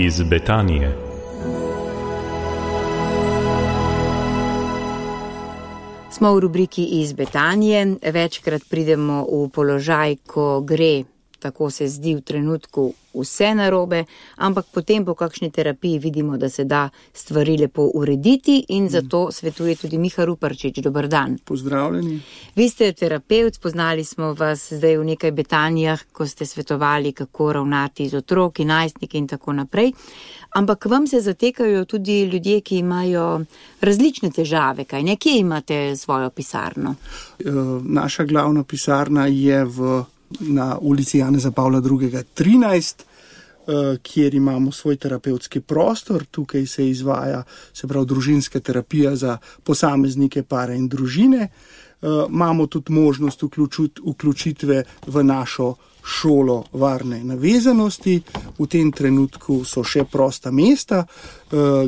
iz Betanije. Smo v rubriki iz Betanije. Večkrat pridemo v položaj, ko gre, tako se zdi v trenutku, vse narobe, ampak potem po kakšni terapiji vidimo, da se da stvari lepo urediti in zato svetuje tudi Miha Ruparčič. Dober dan. Pozdravljeni. Vi ste terapevt, spoznali smo vas zdaj v nekaj Betanijah, ko ste svetovali, kako ravnati z otroki, najstniki in tako naprej. Ampak vam se zatekajo tudi ljudje, ki imajo različne težave, kaj ne? Kje imate svojo pisarno? Naša glavna pisarna je na ulici Janeza Pavla II. 13, kjer imamo svoj terapevtski prostor. Tukaj se izvaja, se pravi, družinska terapija za posameznike, pare in družine. Imamo tudi možnost vključitve v našo šolo varne navezanosti. V tem trenutku so še prosta mesta.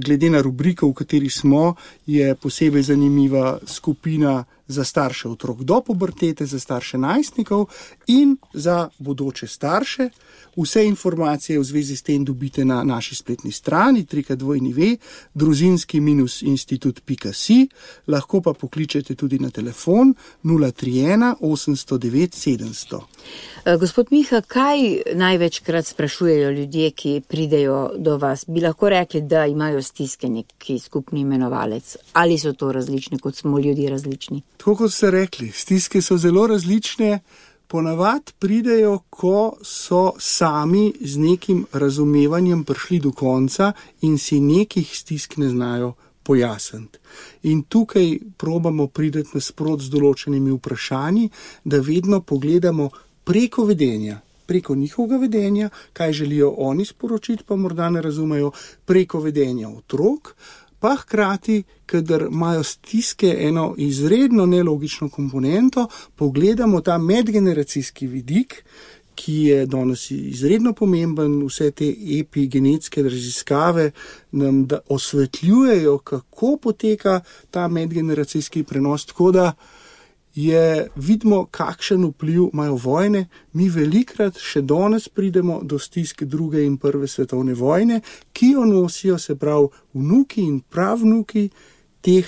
Glede na rubriko, v kateri smo, je posebej zanimiva skupina za starše otrok do pubertete, za starše najstnikov in za bodoče starše. Vse informacije v zvezi s tem dobite na naši spletni strani www.družinski-institut.si. Lahko pa pokličete tudi na telefon 031 809 700. Gospod Miha, kaj največkrat sprašujejo ljudje, ki pridejo do vas? Bi lahko rekli, da imajo stiske neki skupni imenovalec? Ali so to različne, kot smo ljudje različni? Tako kot ste rekli, stiske so zelo različne. Ponavadi pridejo, ko so sami z nekim razumevanjem prišli do konca in si nekih stisk ne znajo pojasniti. In tukaj probamo priti nasprot z določenimi vprašanji, da vedno pogledamo preko vedenja, preko njihovega vedenja, kaj želijo oni sporočiti, pa morda ne razumejo, preko vedenja otrok, pa hkrati, kadar imajo stiske eno izredno nelogično komponento, pogledamo ta medgeneracijski vidik, ki je danes izredno pomemben. Vse te epigenetske raziskave nam osvetljujejo, kako poteka ta medgeneracijski prenos, tako da vidimo, kakšen vpliv imajo vojne. Mi velikrat še danes pridemo do stisk druge in prve svetovne vojne, ki jo nosijo, se pravi, vnuki in pravnuki teh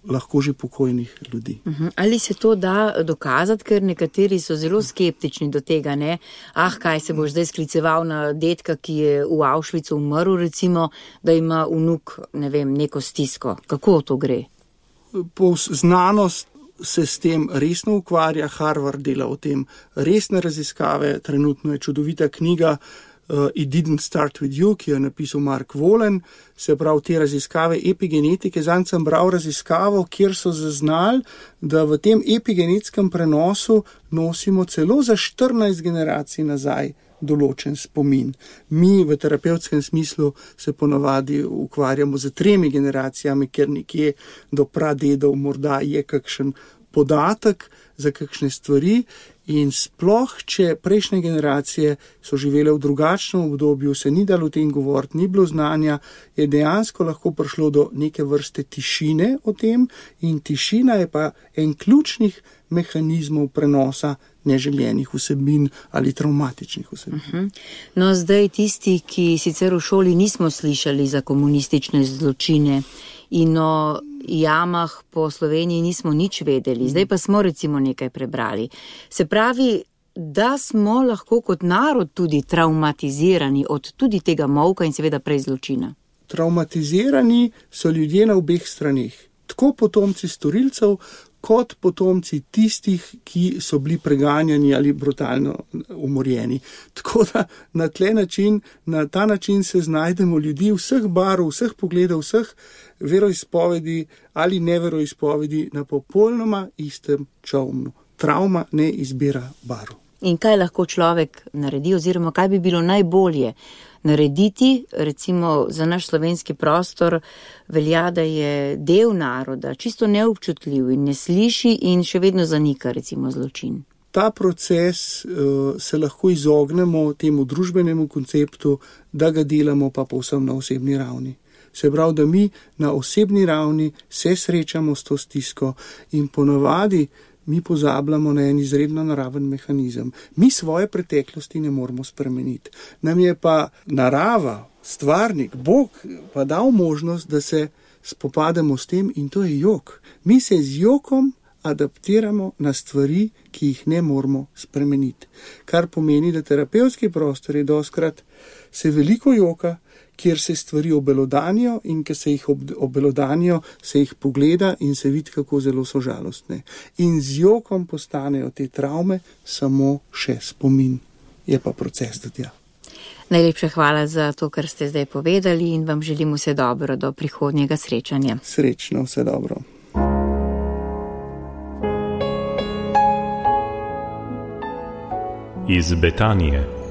lahko že pokojnih ljudi. Ali se to da dokazati, ker nekateri so zelo skeptični do tega, ne? Kaj se boš zdaj skliceval na dedka, ki je v Auschwitzu umrl, recimo, da ima vnuk, ne vem, neko stisko. Kako to gre? Znanost se s tem resno ukvarja, Harvard dela o tem resne raziskave, trenutno je čudovita knjiga It Didn't Start With You, ki jo je napisal Mark Wollen, se pravi te raziskave epigenetike. Zanj sem bral raziskavo, kjer so zaznali, da v tem epigenetskem prenosu nosimo celo za 14 generacij nazaj določen spomin. Mi v terapevtskem smislu se ponavadi ukvarjamo z 3 generacijami, ker nekje do pradedov morda je kakšen podatek za kakšne stvari in sploh, če prejšnje generacije so živele v drugačnem obdobju, se ni dalo o tem govoriti, ni bilo znanja, je dejansko lahko prišlo do neke vrste tišine o tem in tišina je pa en ključnih mehanizmov prenosa neželjenih vsebin ali travmatičnih vsebin. No, zdaj tisti, ki sicer v šoli nismo slišali za komunistične zločine in o jamah po Sloveniji nismo nič vedeli, zdaj pa smo recimo nekaj prebrali. Se pravi, da smo lahko kot narod tudi traumatizirani od tudi tega molka in seveda prej zločina. Traumatizirani so ljudje na obeh straneh, tako potomci storilcev, kot potomci tistih, ki so bili preganjani ali brutalno umorjeni. Tako da na ta način se znajdemo ljudi vseh barv, vseh pogledov, vseh veroizpovedi ali neveroizpovedi na popolnoma istem čolnu. Travma ne izbira barv. In kaj lahko človek naredi oziroma kaj bi bilo najbolje narediti, recimo za naš slovenski prostor velja, da je del naroda čisto neobčutljiv in ne sliši in še vedno zanika recimo zločin. Ta proces se lahko izognemo temu družbenemu konceptu, da ga delamo pa povsem na osebni ravni. Se pravi, da mi na osebni ravni se srečamo s to stisko in ponavadi mi pozabljamo na en izredno naraven mehanizem. Mi svoje preteklosti ne moremo spremeniti. Nam je pa narava, stvarnik, Bog pa dal možnost, da se spopademo s tem in to je jok. Mi se z jokom adaptiramo na stvari, ki jih ne moremo spremeniti. Kar pomeni, da terapevtski prostor je doskrat se veliko joka, kjer se stvari obelodanijo in ker se jih obelodanijo, se jih pogleda in se vidi, kako zelo so žalostne. In z jokom postanejo te travme samo še spomin. Je pa proces do tja. Najlepša hvala za to, kar ste zdaj povedali in vam želim vse dobro do prihodnjega srečanja. Srečno, vse dobro. Iz Betanije.